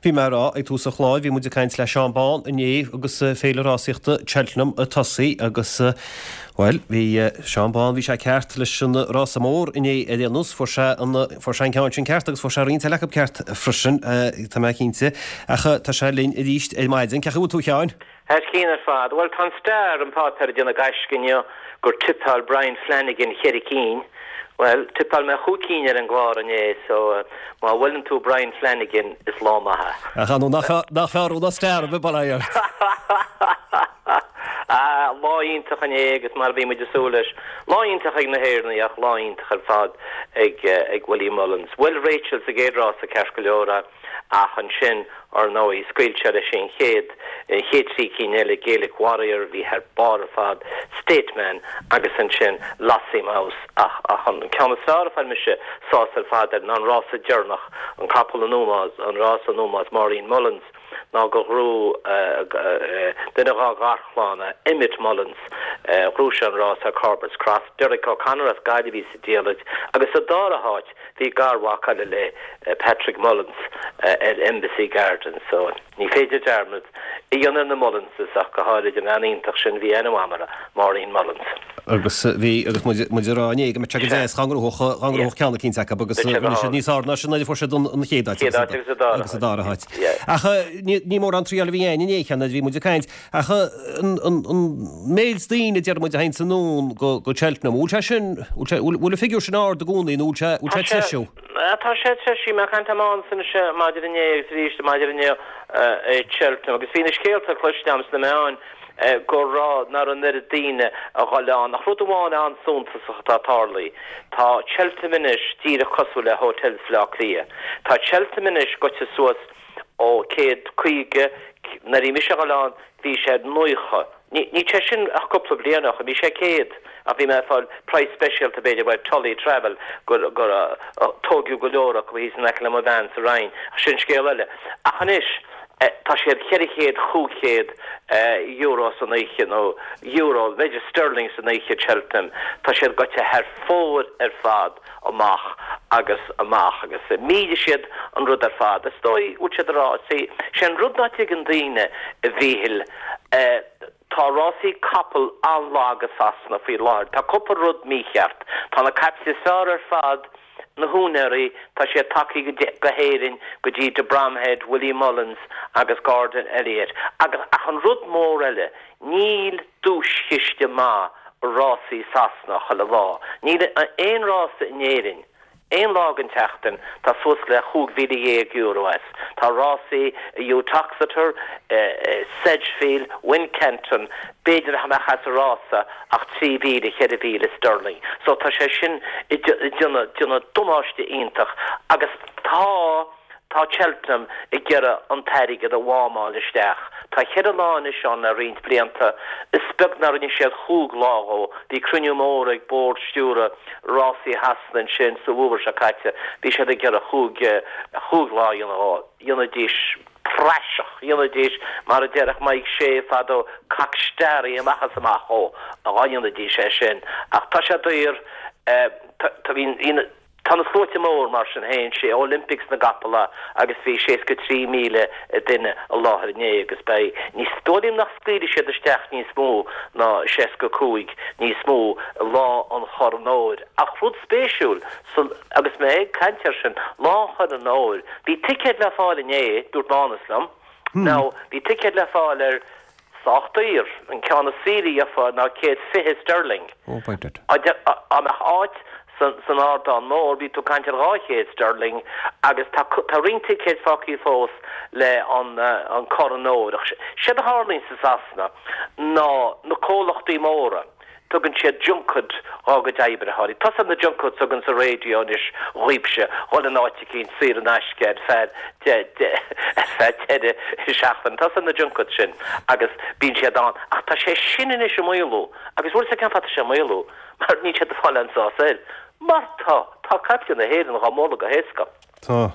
Bhí mé ag rá ag tús an chláir, bhí muid ag caint le Seán Bán inné agus Féile Rásaíochta Cheltenham ag tosaí agus, bhuel, bhí Seán Bán, bhí sé ceart leis an rása mór inné ar aon nós, fuair sé an, fuair sé an ceann sin ceart agus fuair sé roinnt eile acu ceart freisin, tá mé cinnte. Ach tá sé linn arís ar maidin. Cén chaoi a bhfuil tú a Sheáin? Thar cionn ar fad. Bhuel, tá an Star, an páipéar, ag déanamh gaisce inniu gur tipeáil Brian Flanagan cheithre cinn. Bhuel, tipeáil mé chúig cinn ar an gclár inné, so má bhuaileann tú Brian Flanagan, is lá maith é. Ach ar ndóigh, nach fearr ná Star a bheith bail ort. Ah, lá iontach inné agus mar a bhí muid ag súil leis. Lá iontach ag na hÉireannaigh ach lá iontach ar fad ag Willie Mullins. Bhuail Rachel sa gcéad rása ceart go leor é. Ach ansin, ar ndóigh, scaoil sé leis an chéad, an chéad trí cinn eile, Gaelic Warrior, a bhí thar barr ar fad, State Man agus ansin Lossiemouth. Ach, ach an ceann is fearr a fuair mise sásta ar fad air ná an rása deireanach, an capall in ómós, an rása in ómós Maureen Mullins, ná gur ghnóthaigh duine dhá gharchlann, Emmet Mullins, ghnóthaigh sé an rás ar Corbett's Cross. Derek O'Connor as Gaillimh a bhí sa diallait agus sa dara háit, Bhí garmhac eile le Patrick Mullins ar Embassy Gardens so ní féidir dearmad a dhéanamh ar na Mullinses ach go háirid an bhean iontach sin a bhí aithne agam uirthi, Maureen Mullins. Agus bhí, agus muid, muid ag rá inné go mbeadh sé go deas dá ngnóthódh, dá ngnóthódh ceann eicínt acu agus rinne siad níos fearr ná sin nuair a fuair siad an chéad áit agus an dara háit. Ach ní, ní mórán triail a bhí ann inné cheana, bhí muid ag caint Ach an méid daoine a deir muid a théanns anonn go Cheltenham, bhfuil sé sin, bhfuil an figiúr sin ard i gcónaí nó bhfuil sé ag treisiú? Tá sé ag treisiú. Bhí mé ag caint le Mánas anois maidin inné agus arís maidin inniu i Cheltenham agus bhí na scéalta cloiste agam sna meáin go raibh, nach raibh an oiread daoine a dhul ann. Ach rud amháin an-suntasach atá tarlaithe, tá Cheltenham anois díreach cosúil le hotels Bhaile Átha Cliath. Tá Cheltenham anois goite suas ó 150, nuair a bhí mise a dhul ann bhí sé 90. Ní sé sin ach cúpla bliain ó shin, bhí sé 100 ach bhí mé ag fáil praghas speisialta b'fhéidir uaidh Tully Travel gur gur tóigeadh go leor acu thíos in aice le mo bhean sa Rinn ach sin scéal eile. Ach anois tá siad 400, 500 euro san oíche nó euro, b'fhéidir sterling san oíche Cheltenham, tá siad goite thar fóir ar fad. amach agus amach agus mhillfidh siad an rud ar fad. Is dóigh go bhfuil siad ag rá, see, sé an rud ná tuigeann daoine, a Mhíchil, eh, tá rásaí capall an-lag i Sasana faoi láthair. Tá cúpla rud mícheart. Tá na caiple is fearr ar fad, na húinéirí, tá siad tagtha go hÉirinn go dtí de Bromhead, Willie Mullins agus Gordon Elliott. Agus, ach an rud mór eile, níl duaischiste maith i rásaí Sasana chuile lá. Níl aon rása in Éirinn aon lá den tseachtain tá suas le €15,000 as. Tá rásaí i Uttoxeter, Sedgefield, Wincanton, b'fhéidir nach mbeadh as an rása ach 3,000, 4,000 sterling. So tá sé sin ag déanamh damáiste iontach agus tá. Tá Cheltenham ag iarraidh an t-airgead a mhámáil isteach. Tá cheithre lá anois ann le roinnt blianta. Is beag nár rinne siad chúig lá dhó. Bhí cruinniú mór ag bord stiúrtha rásaí Shasana ansin sa bhfómhar seo caite. Bhí siad ag iarraidh chúig, chúig lá a dhéanamh dhó. Dhéanfaidís praiseach, dhéanfaidís, mar a déarfadh Mike Shea fadó, cock steery amach is amach dhó, dhá ndéanfaidís é sin. Ach tá sé daor. Tá, bhí, bhí na. Tá na sluaite mór, mar sin féin, sé Olympics na gcapall é agus bhí 63,000 duine i láthair inné agus beidh, ní dóigh liom nach scaoilfidh siad isteach níos mó ná 65, níos mó, Lá an Chorn Óir. Ach rud spéisiúil, agus mé ag caint air sin, Lá an Chorn Óir, bhí ticéid le fáil inné, dúirt Mánas liom, now bhí ticéid le fáil ar Sách daor. An ceann is saoire a gheofá ná 120 sterling. Oh, by dad. Dá mbeadh áit san ardán mór, bhí tú ag caint ar 200 sterling agus tá tá roinnt ticéid fágtha fós le an an Corn Óir. Ach séard a tharlaíonn sa Sasana ná na comhlachtaí móra, Tugann siad junket dhá gcuid oibritheoirí. Tá a fhios a'd na junkets a thugann sa raidió anois dhaoibhse, dhul in áit eicínt saor in aisce ar feadh ar feadh deireadh seachtaine. Tá a fhios a'd na junkets sin agus bíonn siad ann. Ach tá sé sin anois ag maolú agus bhfuil a fhios a'd cén fáth tá sé ag maolú? Mar níl siad ag fáil aon sás air. Mar tá, tá caiple na hÉireann dhá mbualadh go héasca. Tá.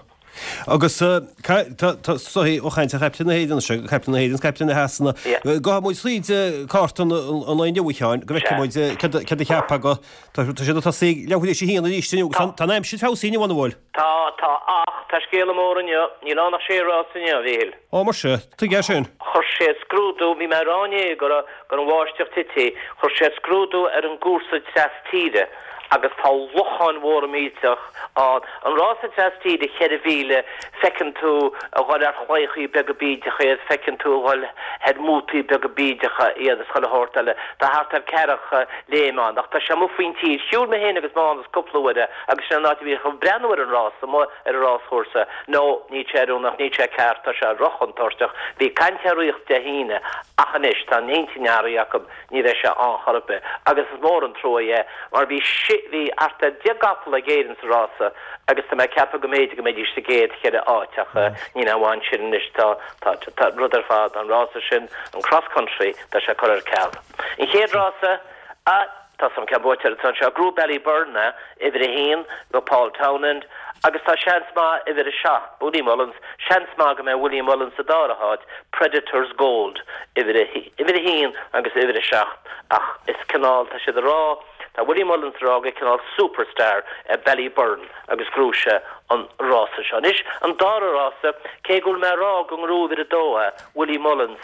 Agus tá soithí ó chaint ar chaiple na hÉireann seo, caiple na hÉireann is caiple na Shasana. Gabhfaidh muid tríd cárta an lae inniu, a Sheáin, go bhfeicfidh muid céard a cheapfá go. Tá siad ag tosaí ag leathuair théis a haon arís inniu agus tá an aimsir feabhsaithe inniu, an bhfuil? Tá, tá, ach. Ach tá scéala mór inniu, níl ann ach sé rás inniu, a Mhíchíl. Ó, muise, tuige é sin? Chuir sé scrúdú, bhí mé ag rá inné go raibh go raibh an bháisteach tite, chuir sé scrúdú ar an gcúrsa treas tíre agus tá locháin mhóra millteach ann. An rása treas tíre 4,000, feiceann tú a dhul ar chlaíochaí beaga bídeacha iad, feiceann tú a dhul ar mótaí beaga bídeacha iad is chuile shórt eile. Tá thart ar ceathracha léim ann ach tá sé amuigh faoin tír. Shiúil mé féin agus Mánas cúpla uair agus sin an áit a bhí chun breathnú ar an rás amuigh ar an ráschúrsa. No, níl sé oiriúnach, níl sé ceart, tá sé rochontúirteach. Bhí caint ar ríocht Dé hAoine ach anois tá an intinn athraithe acu, ní bheidh sé ann chor ar bith. Agus is mór an trua é mar bhí sé, bhí thart ar 10 gcapall ag Éirinn sa rása agus tá mé ag ceapadh go mb'fhéidir go mbeidís sa gcéad cheithre áit ach níl aon mhaith ansin anois, tá, tá, tá an rud ar fad, an rása sin, an cross country, tá sé curtha ar ceal. An chéad rása, ah, Tá san ceann buaite ar an anseo. Ghnóthaigh Ballyburn é, uimhir a haon do Paul Townend agus tá seans maith uimhir a 7, Willie Mullins, seans maith go mbeidh Willie Mullins sa dara háit, Predators Gold, uimhir a uimhir a haon agus uimhir a 7 ach is cineál, tá siad ag rá, tá Willie Mullins ag rá gur cineál superstar é Ballyburn agus ghnóthaigh sé an rása seo. Anois an dara rása, cé go bhfuil mé ag rá go ngnóthóidh uimhir a dó é, Willie Mullins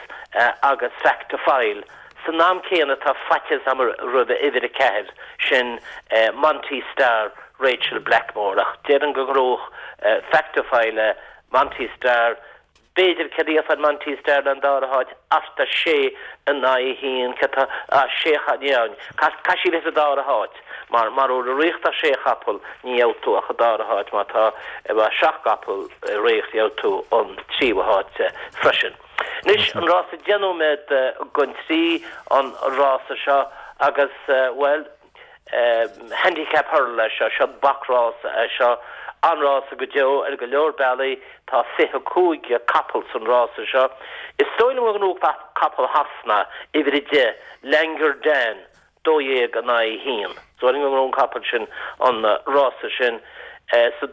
agus Fact To File, San am céanna tá faitíos agam roimh uimhir 4, sin Monty Star Rachael Blackmore, ach déarfainn go ngnóthódh Fact To File é, Monty Star, b'fhéidir, céard a gheofá ar Monty Star don dara háit, thart ar sé in aghaidh a haon, céard tá, ah, sé, ní, caithfidh sí a bheith sa dara háit, mar mura bhfuil i riocht ach sé chapall, ní gheobhaidh tú ach an dara háit, má tá seacht gcapall i riocht gheobhaidh tú an tríú háit freisin. Anois, an rása 10 nóiméad don trí, an rása seo agus, bhuel, Handicap Hurdle é seo, seo bacrása é seo, an-rása go deo ar go leor bealaí, tá 25 capall san rása seo. Is dóigh liom go ngnóthóidh capall Shasana, uimhir 10, Langar Dan, 12 in aghaidh 1. Is dóigh liom go ngnóthóidh an capall sin an rása sin. So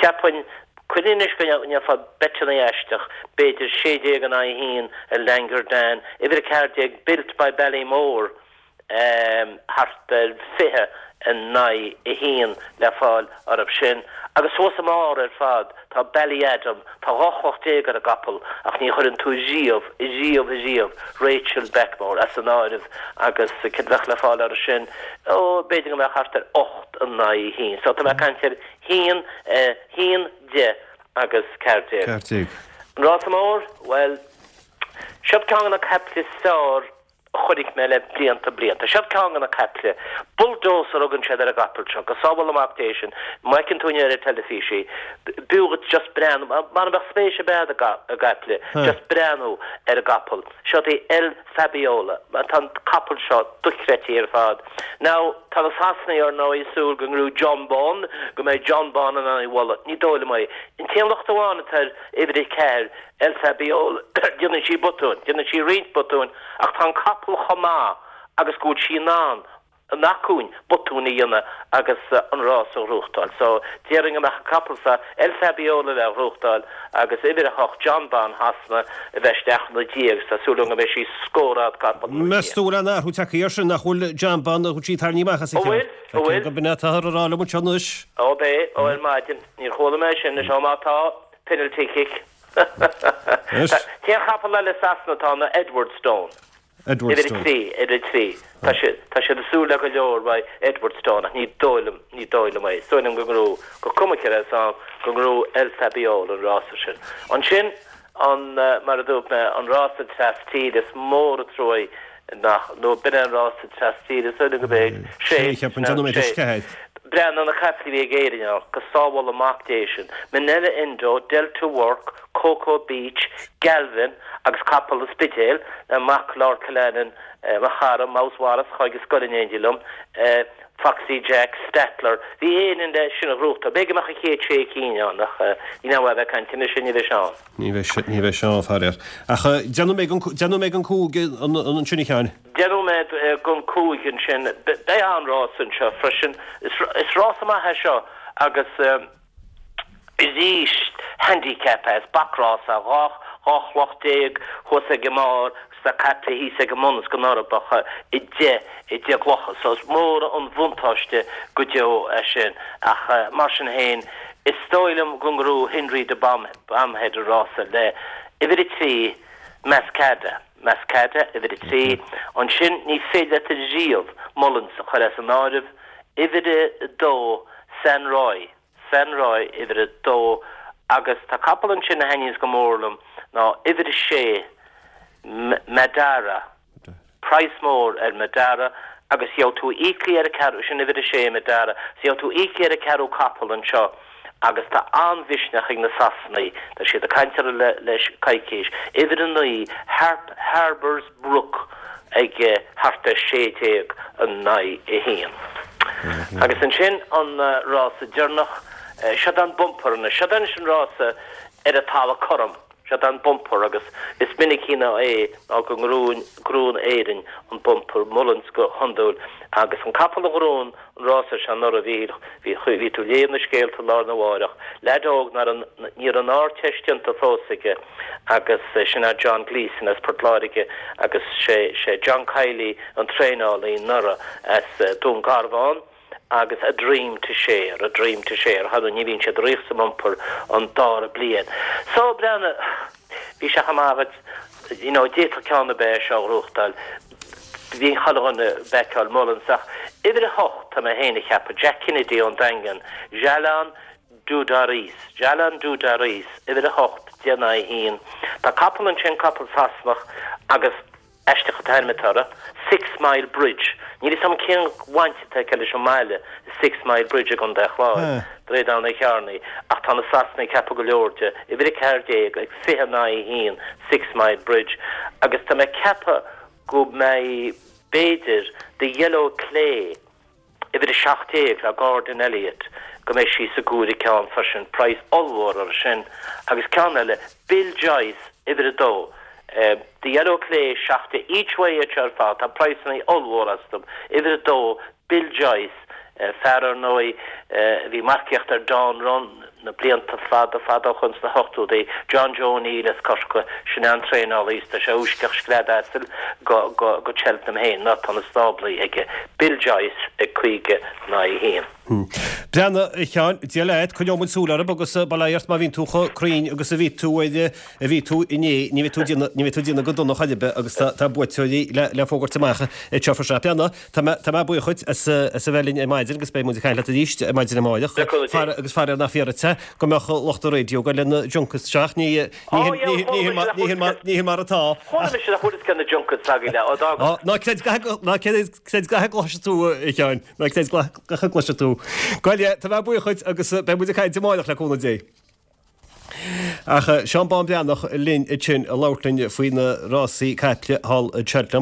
cheapfainn, cuimhnigh anois go ndéanfá beiteanna aisteach, b'fhéidir 16 in aghaidh 1 ar Langar Dan, uimhir 14 Built by Ballymore, thart ar 20 in aghaidh 1 le fáil orthu sin. Agus thuas i mbarr ar fad tá Ballyadam, tá 12 chloch ar an gcapall ach ní chuireann tú riamh, riamh, riamh Rachael Blackmore as an áireamh agus céard a bheadh le fáil orthu sin? Ó, b'fhéidir go mbeadh thart ar 8 in aghaidh 1. So tá mé ag caint ar 1, 1, 10 agus 14. 14. An rása mór? Bhuel, siod ceann de na caiple is fearr a chonaic mé le blianta blianta. Seo ceann de na caiple. Bulldozer a thugann siad ar an gcapall seo. Go sábhála Mac Dé sin. Má fheiceann tú inniu ar an teilifís í, b'fhiú dhuit just breathnú, mara mbeadh spéis ar bith agat i gcaiple, just breathnú ar an gcapall. Seo í El Fabiolo. Tá an capall seo dochreidte ar fad. Now, tá na Sasanaigh ar ndóigh ag súil go ngnóthóidh Jonbon, go mbeidh Jonbon in ann í a bhualadh. Ní dóigh liom é. An t-aon locht amháin atá ar uimhir 4, El Fabiolo, déanann sí botúin, déanann sí roinnt botúin, ach tá an capall chomh maith agus go bhfuil sí in ann an acmhainn botúin a dhéanamh agus an rás a ghnóthachtáil. So, déarfainn go mbeadh an capall seo, El Fabiolo le gnóthachtáil agus uimhir a hocht, Jonbon Shasana, a bheith isteach ina diaidh agus tá súil agam go mbeidh sí scór fhad capall ina diaidh. Meas tú an bhfuil aon athrú tagtha air sin, nach bhfuil Jonbon, nach bhfuil sí tarraingthe amach as a Ó bhfuil, ó bhfuil. Go b'in atáthar a rá liom anseo anois. Ó b'é, ó ar maidin. Níor chuala mé sin anois, ó má tá, penalty kick. T-aon chapall eile i Sasana atá ann ná Edwardstone. Edwardstone. Uimhir a trí, uimhir a trí. Tá siad, tá siad ag súil le go leor uaidh Edwardstone ach ní dóigh liom, ní dóigh liom é. Is dóigh liom go ngnóthóidh, go cuma céard é san, go ngnóthóidh El Fabiolo an rása sin. Ansin, an, mar a dúirt mé, an rása tras tíre, is mór an truaigh nach, nó b'in é an rása tras tíre, is dóigh liom go b'é, sé, sé, sé. Breathnaigh ar na caiple a bhí ag Éirinn ann, go sábhála Mac Dé sinn. Minella Indo, Delta Work, Coko Beach, Galvin agus capall an Spidéil, mac Lord Killanin, mo chara, Mouse Wallace, a chuaigh ar scoil in éindí liom, Foxy Jack, Stattler. Bhí Éirinn le sin a ghnóthachtáil. B'fhéidir go mbeadh an chéad sé cinn ann ach níl aon mhaith a bheith ag caint anois, ní bheidh sé ann. Ní bheidh sé, ní bheidh sé ann, faraor. Ach déanfaidh mé don, déanfaidh mé don cúig ansin a Sheáin. Deich nóiméad don cúig ansin. Beidh an-rás anseo freisin. Is rása maith é seo agus arís handicap é, is bacrás é, 12 chloch thuas ag an mbarr agus tá caiple thíos ag an mbun is go n-uirbeach i deich i deich gclocha. So is mór an bhuntáiste go deo é sin ach mar sin féin. Is dóigh liom go ngnóthóidh Henry de Bromhead an rása le uimhir 3 Maskada. Maskada, uimhir 3. Ansin ní féidir leat riamh Mullins a chur as an áireamh, uimhir 2 San Roy. San Roy, uimhir 2. Agus tá capall ansin a thaitníonns go mór liom ná uimhir 6 Madara. Praghas mór ar Madara agus gheobhaidh tú íoclaí ar an ceathrú, sin uimhir a sé, Madara, so gheobhaidh tú íoclaí ar an ceathrú capall anseo agus tá an-mhisneach ag na Sasanaigh, tá siad ag caint orthu le le coicís. Uimhir a 9, Harp, Harbours Brook ag thart ar 16 in aghaidh 1. Agus ansin an rása deireanach, seod an bumper anois, seod anois an rása ar an talamh cothrom. Seod an bumper agus is minicí ná é ná go ngnóthaíonn Éirinn an bumper, Mullins go hiondúil agus an capall a ghnóthaíonn an rása seo anuraidh bhí bhí tú ag léamh na scéalta lá arna mháireach, leaid óg ná ní raibh an Ardteist déanta fós aige agus sin é John Gleeson as Port Láirge agus sé sé John Kiely an traenálaí anuraidh as Dún Garbhán. agus A Dream to Share, A Dream to Share, thar ní bhíonn siad riamh sa mbumper an dara bliain. So, breathnaigh, bhí sé chomh maith agat, you know, d'fhéadfadh ceann ar bith é seo a ghnóthachtáil, bhí chuile dhuine ag backáil Mullins ach uimhir a hocht tá mé féin a cheapadh, Jack Kennedy ón Daingean, Jalon D'Oudairies, Jalon D'Oudairies, uimhir a hocht, 10 in aghaidh a haon. Tá capall ansin, capall Sasanach agus. Aisteach an t-ainm atá air, Sixmile Bridge. Níl fhios agam cén bhaint atá aige leis an mbaile, Sixmile Bridge i gContae an Chláir, Droichead Abhann an Chearnaigh, ach tá na Sasanaigh ag ceapadh go leor de, uimhir 14 ag 20 in aghaidh 1, Sixmile Bridge, agus tá mé ag ceapadh go mbeidh, b'fhéidir, The Yellow Clay, Uimhir 17 le Gordon Elliott, go mbeidh sí sa gcúigear ceann freisin, praghas ollmhór uirthi sin, agus ceann eile, Bill Joyce, uimhir 2, The Yellow Clay, 17, each way iad seo ar fad, tá praghsanna ollmhór astu, uimhir 2, Bill Joyce, fear ar ndóigh a bhí marcaíocht ar Dawn Run na blianta fada fada ó shoin sna hochtóidí, John Joe O'Neill as Corcaigh, sin é an traenálaí is tá sé ag úisceacht scread asail go go Cheltenham féin, nó tá na stáblaí aige, Bill Joyce ag 50 in aghaidh 1. Breathnaigh, a Sheáin, Dia leat, coinneoidh muid súil orthu agus bail ó Dhia ort má bhíonn tú chomh cruinn agus a bhí tú ar a bhí tú inné, ní bheidh tú ag déanamh, ní bheidh tú ag déanamh go dona chor ar bith agus tá tá buaiteoirí le le fógairt amach anseo faoi seo. Breathnaigh, Tá mé, tá mé buíoch dhuit as, as a bheith linn ar maidin agus beidh muid ag caint leat arís ar maidin amárach. Le cúnamh Dé. Fara, agus faraor nach fíor duit é go mbeadh lucht an raidió ag goil lena junkets isteach, ní, ní Ó, hin, ní, ní hin mar, ní hin mar, ní hin mar atá. Chuala mise nach bhfuil fhios cé na junkets agaibh le, ó d'fhág. Ó, ná creid gach, ná creid, creid gach a gcloisfidh tú, a Sheáin, ná creid gach a gcloisfidh tú. Gabh i leith, tá mé buíoch dhuit agus beidh muid ag caint amárach le cúnamh Dé. Ach Seán Bán Breathnach linn ansin ag labhairt linn faoi na rásaí caiple thall i Cheltenham.